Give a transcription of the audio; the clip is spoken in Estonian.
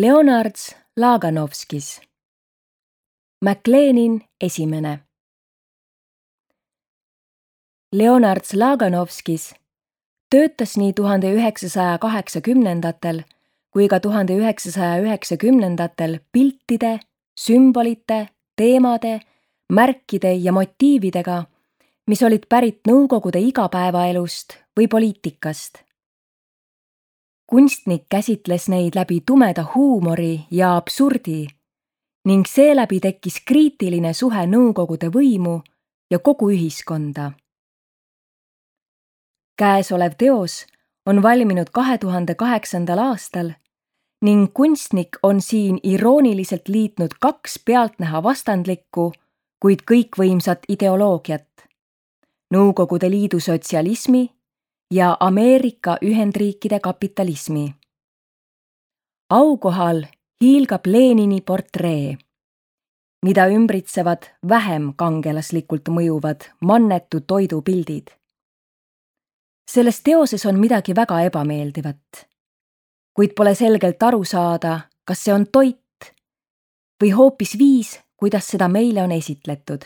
Leonard Laganovskis. McLeanin esimene. Leonard Laganovskis töötas nii 1980-ndatel kui ka 1990-ndatel piltide, sümbolite, teemade, märkide ja motiividega, mis olid pärit Nõukogude igapäevaelust või poliitikast. Kunstnik käsitles neid läbi tumeda huumori ja absurdi ning seeläbi tekkis kriitiline suhe Nõukogude võimu ja kogu ühiskonda. Käesolev teos on valminud 2008. aastal ning kunstnik on siin irooniliselt liitnud kaks pealtnäha vastandlikku, kuid kõikvõimsat ideoloogiat: Nõukogude Liidu sotsialismi ja Ameerika Ühendriikide kapitalismi. Aukohal hiilgab Lenini portree, mida ümbritsevad vähem kangelaslikult mõjuvad mannetu toidupildid. Selles teoses on midagi väga ebameeldivat, kuid pole selgelt aru saada, kas see on toit või hoopis viis, kuidas seda meile on esitletud.